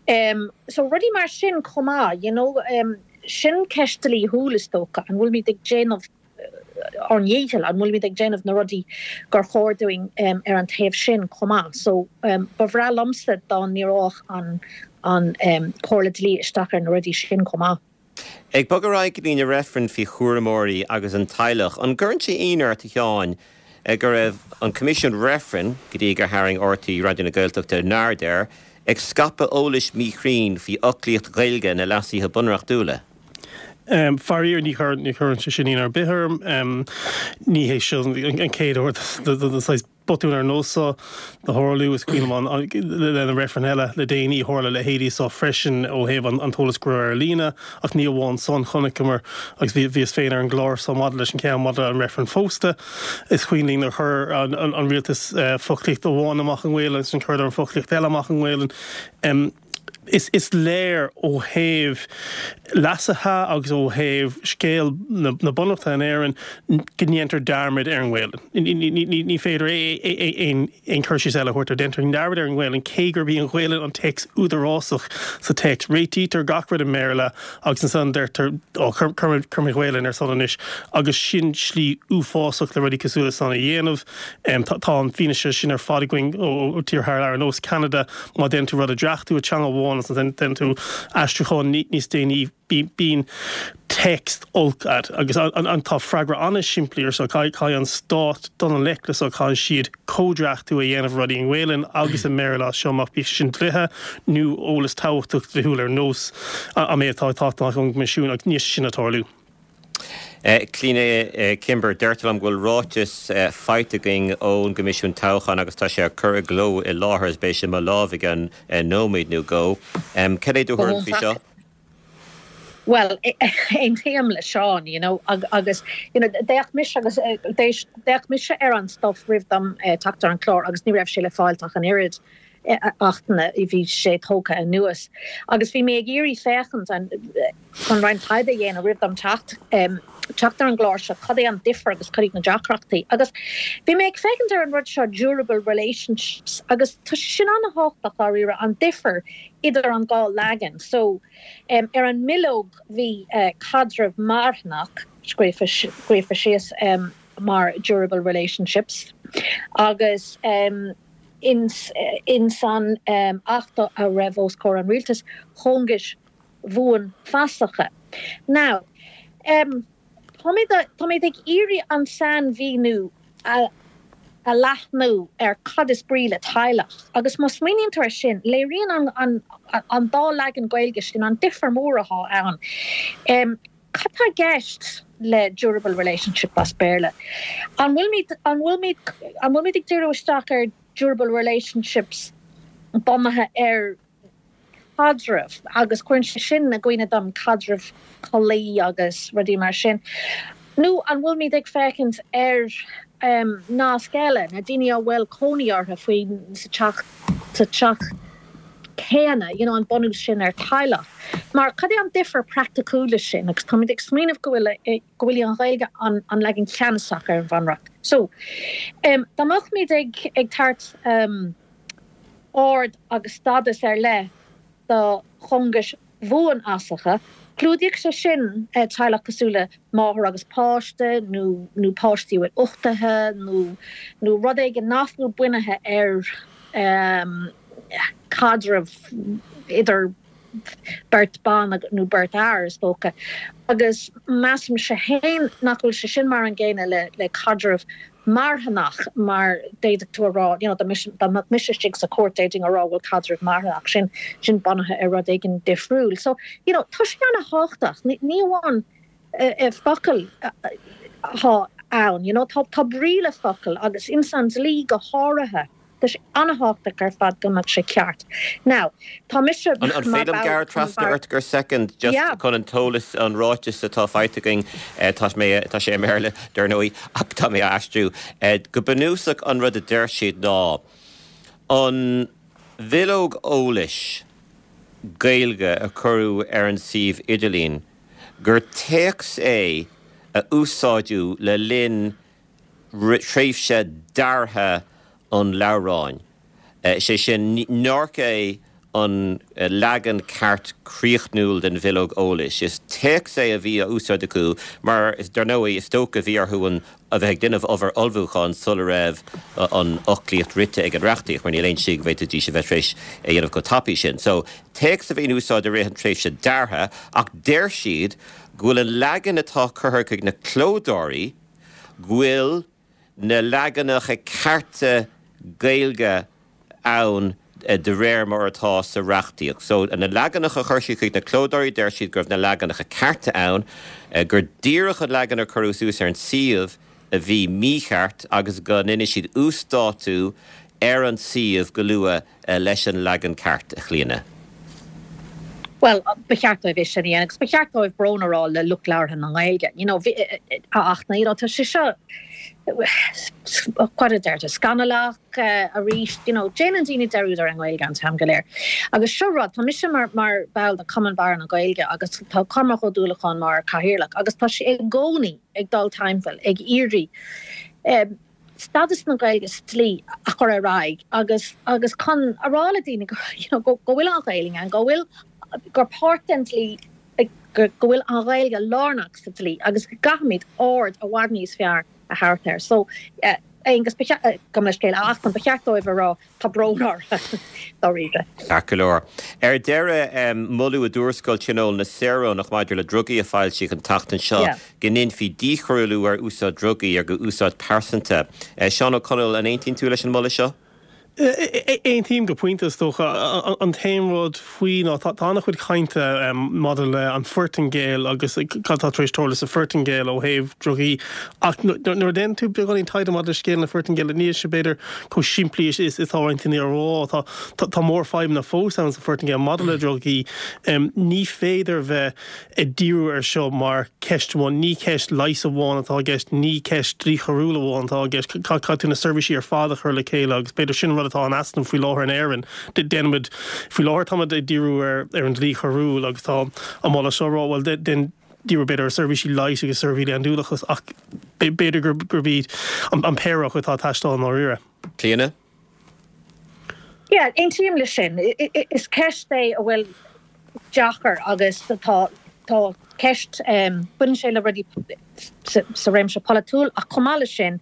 Um, so rudaí mar sin chomh maith, you know, um, sin ceist dlíthiúil is dócha, an bhfuilimid ag déanamh eh, ár ndícheall, an bhfuilimid ag déanamh na rudaí gur chóir dúinn um, ar an taobh sin chomh maith. So um, ba bhreá liomsa dá ndíreodh an an um, Comhairle Dlí isteach ar na rudaí sin chomh maith. Ag bogadh ar aghaidh go dtí na reifrinn faoi chúramóirí agus an teaghlach, an gcuireann sé ionadh ort a Sheáin go raibh an Coimisiún Reifrinn, go dtí gur tharraing R T É Raidió na Gaeltachta a n-aird air, ag scaipeadh eolais míchruinn faoi fhoclaíocht Ghaeilge na leasuithe bunreachtúla? Um, Faraor ní chuireann sé sin ionadh ar bith orm um, ní hé seo an chéad uair saghas botún ar nós seo a tharlú. Is cuimhin le na reifrinn eile le déanaí, tharla leithéidí seo freisin ó thaobh an t-eolas go ar líne, ach ní amháin san, chonaiceamar agus bhíos féin ar an gclár seo maidir leis an ceann maidir an reifreann phósta. Is cuimhin linn ar chuir an, an, an rialtas uh, foclaíocht amháin amach i nGaeilge agus an chuir an foclaíocht eile amach i nGaeilge. Um, is, is léir ó thaobh leasaithe agus ó thaobh scéal na, na bunreachta in Éirinn go ndéantar dearmad ar an nGaeilge. Ní féidir aon chur síos eile a thabhairt air, déantar dearmad ar an nGaeilge cé gurb í an Ghaeilge an téacs údarásach sa téacs. Réitítear gach rud i mBéarla agus ansan deirtear cuir Gaeilge ar son anois agus sin slí uafásach le rudaí cosúil san a dhéanamh. Tá an fianaise sin ar fad againn ó tíortha ar nós Canada. Má déanann tú rud a dhreachtú i dteanga amháin déanann tú aistriúchán níos déanaí, bíonn téacs olc agat agus an tá freagra an-simplí ar so caithfidh an stát dul i ngleic le so caithfidh siad comhdhreachtú a dhéanamh rudaí i nGaeilge agus i mBéarla seo amach, bíodh sin dlíthe nó eolas tábhachtach dlíthiúil ar nós an méid atá tá an Coimisiún agus níl sin ag tarlú. Clíona Kimber, deirtear liom go bhfuil ráiteas faighte againn ón gCoimisiún Toghcháin agus tá sé curtha i gcló i láthair is beidh sé i mo lámh i gceann nóiméad nó dhó. Cad é do thuairim faoi seo? Well, aontaím le Seán, you know, agus you know, d'fhéach mise agus d'fhéach mise ar an stuff roimh dom eh, teacht ar an chlár agus ní raibh sé le fáil ach an oiread achtanna i bhí sé tógtha anuas. Agus bhí mé ag iarraidh féachaint an chun roinnt taighde a dhéanamh roimh dom teacht um, teacht ar an gclár seo cad é an difear agus cad iad na deacrachtaí. Agus bhí mé ag féachaint ar an rud seo durable relationships agus tá sin an-tábhachtach dáiríre an difear idir an dhá leagan. So um, ar an mbileog bhí uh, caidreamh marthanach scríofa síos um, mar durable relationships agus um, ins, ins an um, achta a raibh os comhair an rialtais cóngais bhuanfhasacha. Now, um, Táimid ag iarraidh an sainmhíniú a, a leathnú ar cad is brí le teaghlach. Agus má smaoiníonn tú air sin, léiríonn an, an, an dá leagan Gaeilge sin an difear mór atá ann. Um, Cad tá i gceist le durable relationship as Béarla? An bhfuilimid an bhfuilimid an bhfuilimid ag díriú isteach ar durable relationships bunaithe ar caidreamh agus cuireann sé sin i gcuimhne dom caidreamh collaí agus rudaí mar sin. Nó an bhfuilimid ag féachaint ar um, nasc eile na daoine a bhfuil cónaí orthu faoi sa teach sa teach céanna, you know, an bunús sin ar teaghlach. Mar cad é an difear praiticiúil sin agus táimid ag smaoineamh go bhfuil eh, go bhfuil an Ghaeilge an, an leagan ceannasach ar an bhunreacht. So um, dá mbeimid ag ag tabhairt um, ard agus stádas ar leith do chóngais bhuanfhasacha, clúdaíonn sé sin eh, teaghlach cosúil le máthair agus páiste nó nó páistí bhfuil uchtaithe nó nó rud éigin nach bhfuil bunaithe ar um, caidreamh idir beirt ban nó beirt fhear is dócha. Agus measaim sé féin nach bhfuil sé sin mar an gcéanna le le caidreamh marthanach mar d'fhéadfadh tú rá you know, dá mise istigh sa chúirt d'fhéadfainn a rá bhfuil caidreamh marthanach sin sin bunaithe ar rud éigin difriúil. So you know, tá sé an-tábhachtach ní amháin uh, focail atá ann, you know, tá tá brí le focail agus ins an dlí go háirithe. Tá sé an-tábhachtach ar fad go mbeadh sé ceart. Now tá mise An féidir gearradh trasna ort go second just yeah. chun an t-eolas an ráiteas atá faighte againn tá mé tá sé i mBéarla dar ndóigh ach tá mé aistriú. Go bunúsach an rud a deir siad ná an bhileog eolais Gaeilge a cuireadh ar an suíomh idirlín gur téacs é a úsáideadh le linn tréimhse deartha an leabhráin. Sé sin nách é an leagan ceart críochnúil den bhileog eolais. Is téacs é a bhí á úsáid acu mar is dar ndóigh is dócha bhí orthu an a bheith ag déanamh obair ullmhúcháin sula raibh an fhoclaíocht rite ag an reachtaíocht, mar níl aon slí go bhféadfaidís a bheith tar éis é dhéanamh chomh tapaidh sin. So, téacs a bhí in úsáid i rith an tréimhse deartha ach deir siad go bhfuil an leagan atá curtha chuig na clódóirí go bhfuil na leaganacha cearta Gaeilge ann de réir mar atá sa reachtaíocht. So na leaganacha a chuir siad chuig na clódóirí deir siad go raibh na leaganacha cearta ann, gur díreach an leagan a cuireadh suas ar an suíomh a bhí mícheart agus go ndéanfaidh siad uasdátú ar an suíomh go luath leis an leagan ceart a Chlíona. Well, ba cheart dóibh é sin a dhéanamh agus ba cheart dóibh brón a rá le lucht labhartha na Gaeilge. You know, ach na, you know, tá sé seo cad a deirtear scannalach arís, you know, déanann daoine dearúd ar an nGaeilge an t-am go léir. Agus seo rud, tá mise mar, mar ball de Cumann Barra na Gaeilge agus tá Cormac Ó Dúlacháin mar cathaoirleach agus tá sé i gcónaí ag dul timpeall ag iarraidh um, stádas na Gaeilge sa dlí a chur ar aghaidh agus agus chun a rá le daoine go, you know, go, go bhfuil an Ghaeilge ann, go bhfuil gur páirt den dlí go bhfuil an Ghaeilge lárnach sa dlí agus go gcaithfimid aird i bhfad níos fearr a thabhairt air. So uh, Aonghus gabh mo leithscéal ach ba cheart dóibh a rá tá brón orm dáiríre. Ceart go leor. Ar deireadh moladh i dtuarascáil Tionól na Saoránach maidir le drugaí a foilsíodh an tseachtain seo go ndéanfaí díchoiriúlú ar úsáid drugaí ar úsáid pearsanta. Seán Ó Conaill an aontaíonn tú leis an moladh seo? Aontaím go pointe is dócha an t-aon rud faoi ná tá an-chuid cainte maidir le an Phortaingéil agus cad tá tar éis tarlú sa Phortaingéil ó thaobh drugaí ach nuair a déanann tú beagáinín taighde maidir le scéal na Portaingéile níl sé b'fhéidir chomh simplí is atá roinnt daoine a rá tá tá mórfhadhbanna fós ann sa Phortaingéil maidir le drugaí ní féidir bheith ag díriú ar seo mar ceist amháin ní ceist leighis amháin atá i gceist ní ceist dlí choiriúil amháin atá i gceist caithfidh tú na seirbhísí ar fad a chur le chéile agus b'fhéidir sin rud atá in easnamh faoi láthair in Éirinn. Déanaimid faoi láthair táimid ag díriú ar ar an dlí choiriúil agus tá an moladh seo rá well den díriú b'fhéidir ar seirbhísí leighis agus seirbhísí andúileachais ach b'fhéidir gur gurb iad an, an péire atá ag teastáil i ndáiríre. Clíona? Yeah, aontaím leis sin. Is ceist é a bhfuil deacair agus tá tá ceist baineann sé le rudaí sa réimse polaitiúil ach chomh maith leis sin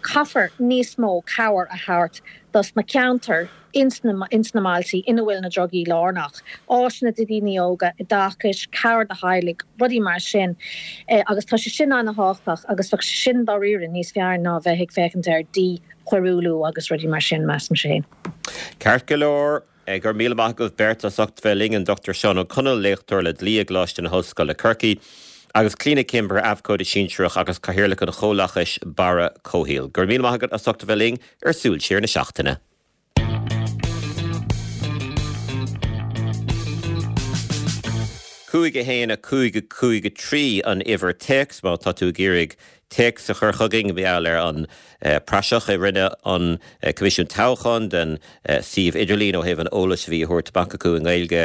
caithfear níos mó cabhair a thabhairt dos na ceantair ins na ins na mbailte ina bhfuil na drugaí lárnach, áiseanna do dhaoine óga, oideachais, cabhair do theaghlaigh, rudaí mar sin agus tá sé sin an-tábhachtach agus bheadh sé sin dáiríre níos fearr ná bheith ag féachaint ar díchoiriúlú agus rudaí mar sin, measaimse féin. Ceart go leor. Go raibh míle maith agaibh beirt as ucht bheith linn, an Dochtúir Seán Ó Conaill, léachtóir le dlí i gColáiste na hOllscoile Corcaigh, agus Clíona Kimber, abhcóide sinsearach agus cathaoirleach an chomhlachais Barra Comhshaoil. Go raibh míle maith agat as ucht bheith linn ar Súil Siar na Seachtaine. Cúig a haon a cúig a cúig a trí an uimhir téacs má tá tú ag iarraidh téacs a chur chugainn mar gheall ar an praiseach a rinne an Coimisiún Toghcháin den suíomh idirlín ó thaobh an eolais a bhí á thabhairt amach acu i nGaeilge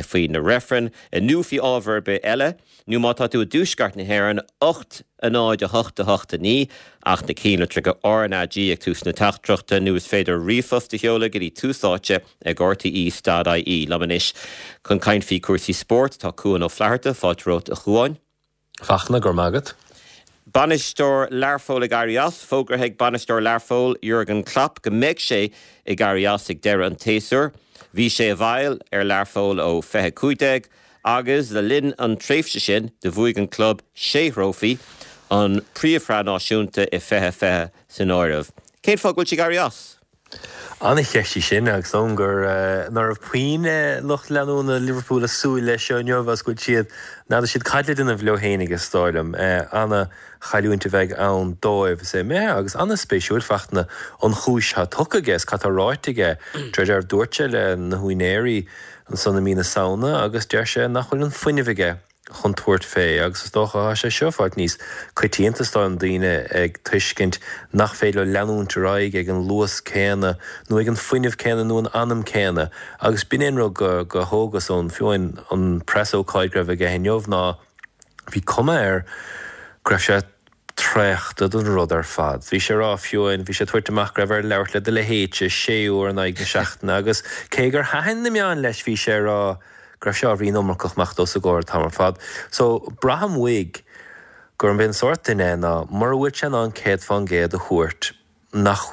faoi na reifrinn nó faoi ábhar ar bith eile. Nó má tá tú i dtuaisceart na hÉireann, ocht a náid a hocht a hocht a naoi ach na cinnlitreacha R N A G ag tús na teachtaireachta nó is féidir ríomhphost a sheoladh go dtí Tús Áite ag R T E dot I E. Liom anois chun caint faoi chúrsaí spóirt tá Cuan Ó Flatharta, fáilte romhat a Chuáin. Fachtna, go raibh maith agat. Bainisteoir Learpholl ag éirí as, fógraithe ag bainisteoir Learpholl Jurgen Klopp go mbeidh sé ag éirí as ag deireadh an tséasúir. Bhí sé i bhfeighil ar Learpholl ó fiche cúig déag agus le linn an tréimhse sin do bhuaigh an club sé thrófaí, an Príomhshraith Náisiúnta i fiche fiche san áireamh. Cén fáth go bhfuil sé ag éirí as? An-cheist í sin agus dóigh gur ná raibh puinn lucht leanúna Liverpool ag súil leis seo inniu agus go bhfuil siad, n'fheadar siad cad le déanamh leo fhéinig is dóigh liom. Ana-chailliúint a bheidh ann dóibh. Is é mé agus ana-spéisiúil Fachtna an chúis atá tugtha aige is cad tá ráite aige. De réir dealraimh dúirt sé le na húinéirí ansan i mí na Samhna agus deir sé nach bhfuil an fuinneamh aige chun tabhairt fé agus is dócha tá sé seo fáilt níos coitianta is dóigh liom daoine ag tuiscint nach féidir leo leanúint ar aghaidh ag an luas céanna nó ag an fuinneamh céanna nó an anam céanna agus b'in é an rud go go thógas ón fiú amháin an preasócáid go raibh aige inniu ná bhí cuma air go raibh sé traochta den rud ar fad. Bhí sé ag rá fiú amháin, bhí sé ag tabhairt amach go raibh air labhairt le do leithéidse sé uair in aghaidh na seachtaine agus cé gur thaitin na meáin leis bhí sé ag rá go raibh sé ábhairín iomarcach amach dó os a gcomhair an t-am ar fad. So braithim uaidh gurb é an sórt duine é ná mura bhfuil sé in ann céad fán gcéad a thabhairt nach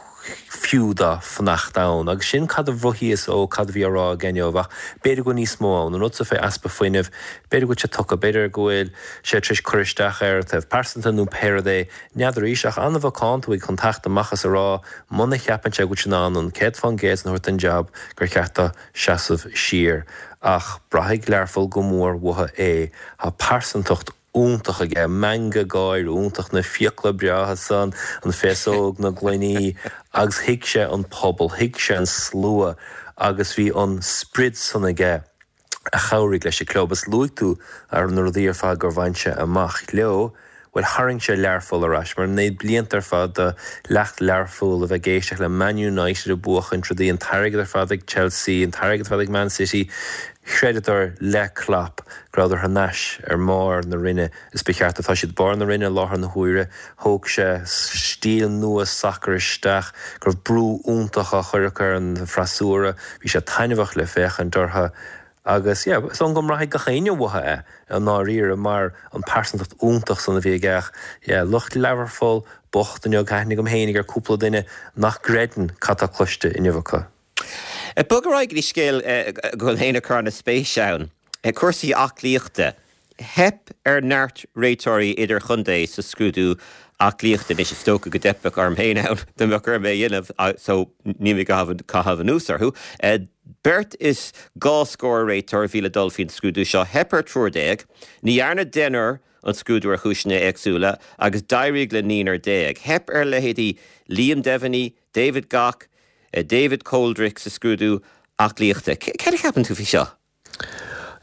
fiú dó fanacht ann. Agus sin cad a mhothaíos ó cad a bhí á rá aige inniu, ach b'fhéidir go bhfuil níos mó ann, an rud so fé easpa fuinnimh, b'fhéidir go bhfuil sé tugtha, b'fhéidir go bhfuil sé tar éis cur isteach air ó thaobh pearsanta nó pé rud é, n'fheadar arís, ach an-mhacánta uaidh chun teacht amach is a rá muna cheapann sé go bhfuil sé in ann an céad fán gcéad san a thabhairt don jab gur cheart dó seasamh siar. Ach braithfidh Learpholl go mór uathu é. Tá pearsantacht iontach aige, meangadh gáire iontach, na fiacla breátha san, an féasóg, na gloiní, agus thuig sé an pobal, thuig sé an slua agus bhí an sprid san aige a chabhraigh leis an club. Is luaigh tú ar na rudaí ar fad gur bhain sé amach leo, bhuel tharraing sé Learpholl ar ais, mar na blianta ar fad do leacht Learpholl a bheith ag éisteacht le Man United ag buachaint rudaí, an t-airgead ar fad ag Chelsea, an t-airgead ar fad ag Man City, chreideadar le Klopp go rabhadar thar n-ais ar mbarr na roinne is ba cheart atá siad barr na roinne i láthair na huaire. Thóg sé stíl nua sacair isteach, go raibh brú iontach á chur acu ar an bhfreasúra, bhí sé taitneamhach le féachaint orthu agus yeah, is dóigh go mbraithfidh gach éinne uathu é i ndáiríre mar an pearsantacht iontach san a bhí aige ach yeah, lucht Learpholl bocht inniu, tá aithne agam fhéinig ar cúpla duine nach gcreideann cad tá cloiste inniu acu. Bog ar aghaidh go dtí scéal go bhfuil féin ag cur an-spéis ann. Cúrsaí aclaíochta. Theip ar neart réiteoirí idirchontae sa scrúdú aclaíochta. Anois is dócha go dteipfeadh orm féin ann dá mbeadh orm é a dhéanamh so níl mé ag caitheamh anuas orthu. Beirt is dhá scór réiteoir a bhí le dul faoin scrúdú seo. Theip ar triúr déag. Ní dhearna deichniúr an scrúdú ar chúiseanna éagsúla agus d'éirigh le naonúr déag. Theip ar leithéidí Liam Devaney, David Gough, David Coldrick sa scrúdú aclaíochta. Céard a cheapann tú faoi seo?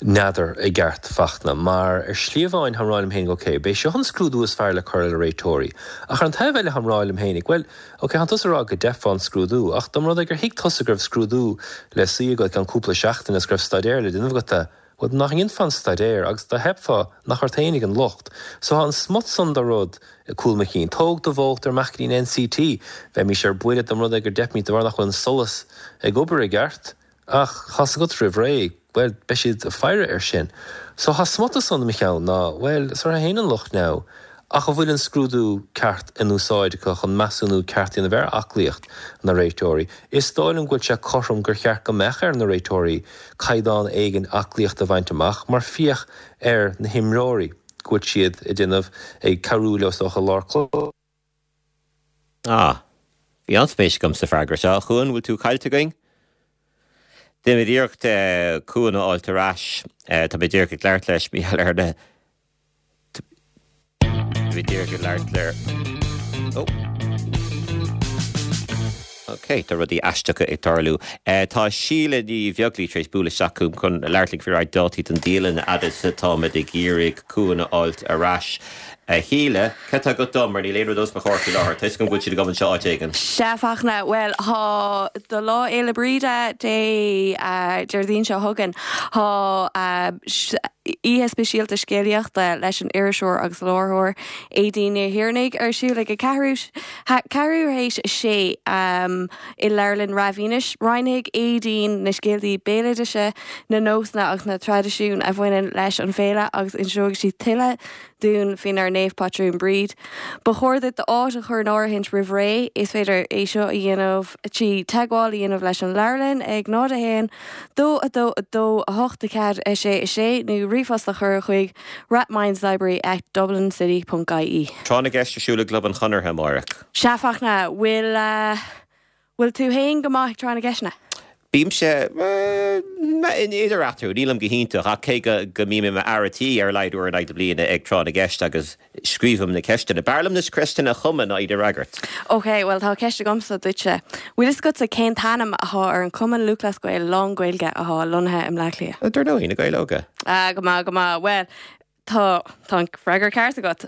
N'fheadar i gceart, Fachtna, mar ar shlí amháin táim ag rá liom féinig, ok, b'é seo an scrúdú is fearr le cur le réiteoirí. Ach ar an taobh eile táim ag rá liom féinig, bhuel, ok, tánn tusa ag rá go dteipfeá an scrúdú, ach dá mba rud é gur thuig tusa go raibh scrúdú le suí agat i gceann cúpla seachtain agus go raibh staidéar le déanamh agat, bhuel, nach ndéanfá an staidéar agus dá dteipfeá, nach ort fhéinig an locht. So tá an smut san de rud i gcúl mo chinn. Tóg do bhóchtar amach go dtí an NCT, bheimís ar buile dá mba rud é gur dteipimid de bharr nach bhfuil an solas ag obair i gceart, ach tá's agat roimh ré, bhuel, beidh siad ag faire air sin. So tá smut san i mo cheann ná, bhuel, is orthu fhéin an locht now. Ach an bhfuil an scrúdú ceart in úsáid acu chun measúnú ceart a dhéanamh ar aclaíocht na réiteoirí? Is dóigh liom go bhfuil sé cothrom gur cheart go mbeadh ar na réiteoirí caighdeán éigin aclaíochta a bhaint amach mar féach ar na himreoirí go bhfuil siad ag déanamh, ag cabhrú leo is dócha i lár cluiche. Ah, bhí an-spéis agam sa freagra seo. A Chuain, bhfuil tú caillte againn? Déanaimid iarracht Cuan a fháilt ar ais. Tá mé díreach ag labhairt leis, Mícheál, ar na. Bhí díreach ag labhairt le Oh. Ok, tá rudaí aisteacha ag tarlú. Tá Síle Ní Bheaglaoich tar éis bualadh isteach chugam chun labhairt linn faoi roinnt dátaí don dialann fhad is atáimid ag iarraidh Cuan a fháilt ar ais. A Shíle, cad tá agat dom mar níl aon rud os mo chomhair faoi láthair. Tá 'fhios agam go bhfuil siad agam anseo áit éigin. Sea, Fachtna, bhuel, tá do Lá Fhéile Bríde Dé Déardaoin seo chugainn. Tá oíche speisialta scéalaíochta leis an iriseoir agus láithreoir Aedín Ní Thiarnaigh ar siúl ag a ceathrú ceathrú théis a sé i Leabharlann Rath Mhínais. Roinnfidh Aedín na scéaltaí béaloidis, na nósanna agus na traidisiúin a bhaineann leis an bhféile agus inseoidh sí tuilleadh dúinn faoinár naomhphatrún Bríd. Ba chóir duit d'áit a chur in áirithint roimh ré. Is féidir é seo a dhéanamh trí teagmháil a dhéanamh leis an leabharlann ag náid a haon, dó a dó a dó a hocht a ceathair a sé a sé nó ríomhphost a chur chuig rathmineslibrary at dublincity ponc ie. Tráth na gCeist ar siúl i gClub an Chonartha amárach. Sea, Fachtna, bhfuil, bhfuil tú fhéin go maith ag tráth na gceisteanna? Bímse idir eatarthu, nílim go hiontach, ach cé go go mbím i m'fhear a' tí ar a laghad uair in aghaidh na bliana ag tráth na gceist agus scríobhaim na ceisteanna. B'fhearr liom na ceisteanna a chumadh ná iad a fhreagairt. Ok, bhuel tá ceist agamsa duitse. Bhfuil fhios agatsa cén t-ainm athá ar an Cumann Lúthchleas Gael lán-Ghaeilge athá lonnaithe i mBleá Cliath? Dar ndóigh, Na Gaeil Óga. Ah, go maith, go maith. Bhuel, Tá, tá an freagra ceart agat.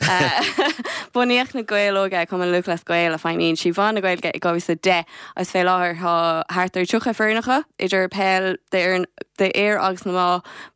Bunaíodh na Gaeil Óga, Cumann Lúthchleas Gael a feidhmíonn trí mheán na Gaeilge i dhá mhíle is a deich agus fé láthair tá thart ar tríocha foireann acu, idir peil d'fhoireann d'fhir agus na mná,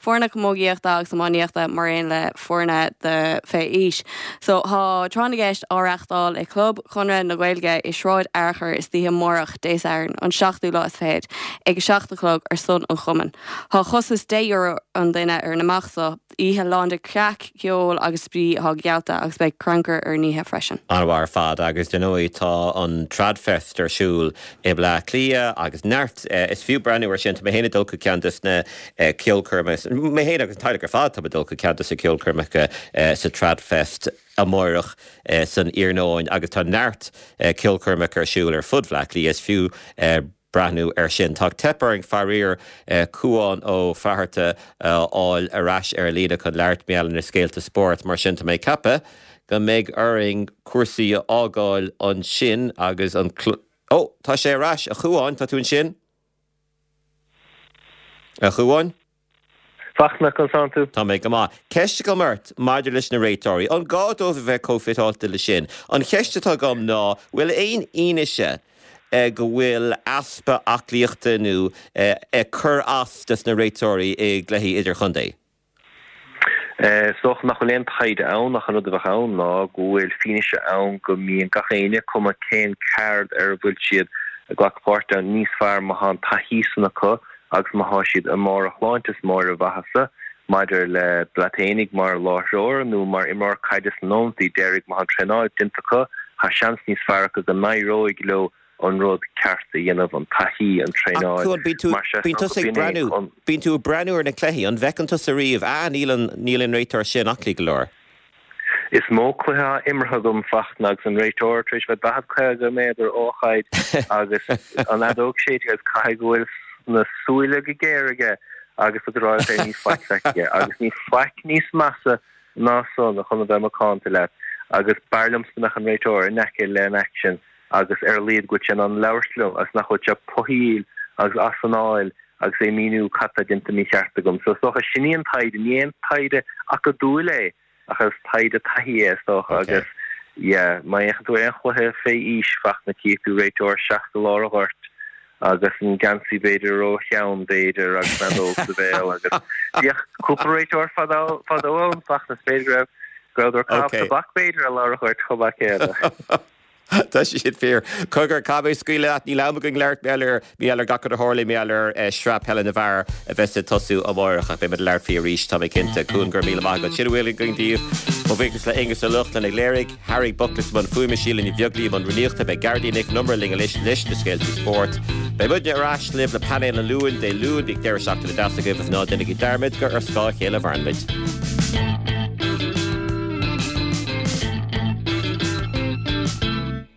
foirne camógaíochta agus iománaíochta mar aon le foirne de fé aois. So tá Tráth na gCeist á reachtáil i Club Chonradh na Gaeilge i Sráid Fhearchair istoíche amárach Dé Sathairn an seachtú lá is fichead ag a seacht a chlog ar son an chumainn. Tá costas deich euro an duine ar an imeacht so, oíche lán de chraic, ceol agus spraoi atá geallta agus beidh crannchur ar an oíche freisin. An-mhaith ar fad agus dar ndóigh tá an Tradfest ar siúl i mBleá Cliath agus neart, is fiú breathnú ar sin, tá mé féin ag dul chuig ceann des na ceolchoirmeacha, mé féin agus an teaghlach ar fad, tá mé ag dul chuig ceann des na ceolchoirmeacha sa Tradfest amárach san iarnóin agus tá neart ceolchoirmeacha ar siúl ar fud Bhleá Cliath, is fiú breathnú air sin. Tá ag teip orainn faraor Cúán Ó Fátharta a fháil ar ais ar líne chun labhairt mar gheall ar na scéalta spóirt, mar sin tá mé ag ceapadh go mbeidh orainn cúrsaí a fhágáil ansin agus an Ó, tá sé ar ais, a Chúáin, tá tú ansin? A Chúáin? Fachtna, conas tánn tú? Tá mé go maith. Ceist agam ort maidir leis na réiteoirí. An gá dóibh a bheith chomh fiteáilte le sin? An cheist atá agam ná, bhfuil aon fhianaise go bhfuil easpa aclaíochta nó ag cur as dos na réiteoirí i gcluichí idirchontae? Is dócha nach bhfuil aon taighde ann ach an rud a bheadh ann ná go bhfuil fianaise ann go mbíonn gach éinne, cuma cén ceard ar a bhfuil siad ag glacadh páirte ann, níos fearr má tá an taithí san acu agus má tá siad i mbarr a shláinte is i mbarr a mhaitheasa. Maidir le leat fhéinig mar láithreoir nó mar imreoir caide sna nóimeantaí deiridh, má tá an traenáil déanta acu, tá seans níos fearr acu go n-éireoidh leo an rud ceart a dhéanamh, an taithí, an Ach traenáil. Cuán, bíonn tú, Mar sea, bíonn is dócha tusa ag b'in é breathnú, an. bíonn tú ag breathnú ar na cluichí, an bhfeiceann tusa riamh, ah, níl an, níl an réiteoir sin aclaí go leor? Is mó cluiche atá imeartha agam, Fachtna, agus an réiteoir tar éis bheith daichead caoga méadar ó chaid agus an fheadóg séidte agus caithfidh go bhfuil na súile go géar aige agus tá tú ag rá leat féin níl faic feicthe aige agus níl faic níos measa ná san chun a bheith macánta leat agus b'fhearr liomsa go mbeadh an réiteoir in aice le an aicsean agus ar a laghad go bhfuil sé in ann labhairt liom agus nach bhfuil sé puthaíl agus as anáil agus é ag míniú cad tá déanta mícheart agam. So is dócha sin í an taighde, ní aon taighde acadúil é ach is taighde taithí é is dócha agus yeah má fhéachann tú ar aon chluiche fé aois Fachtna cífidh tú réiteoir seasta i lár an ghoirt agus an geansaí b'fhéidir ró-theann b'fhéidir agus an fheadóg sa bhéal agus bhíodh cúpla réiteoir fadó fadó ann Fachtna is b'fhéidir go raibh go rabhadar ag caitheamh tobac b'fhéidir i lár an ghoirt chomh maith céanna. Tá sé sin fíor. Cogar, caithfidh mé scaoileadh leat, níl am againn labhairt mar gheall ar, mar gheall ar gach rud a tharlaigh, mar gheall ar Sraith Peile na bhFear a bheas ag tosú amárach ach beidh muid ag labhairt faoi arís, tá mé cinnte. Cuan, go raibh míle maith agat. Sin a bhfuil againn daoibh. Mo bhuíochas le Aonghus Ó Lochlainn ag léirigh, Harry Buckley i mbun fuaime, Síle Ní Bheaglaoí i mbun rúnaíochta, beidh Gearóidín Nic an Iomaire linn anois leis na scéalta spóirt. Beidh muidne ar ais libh le painéal an Luain, Dé Luain, bíodh deireadh seachtaine deas agaibh agus ná déanaigí dearmad gur ar scáth a chéile a mhaireann muid.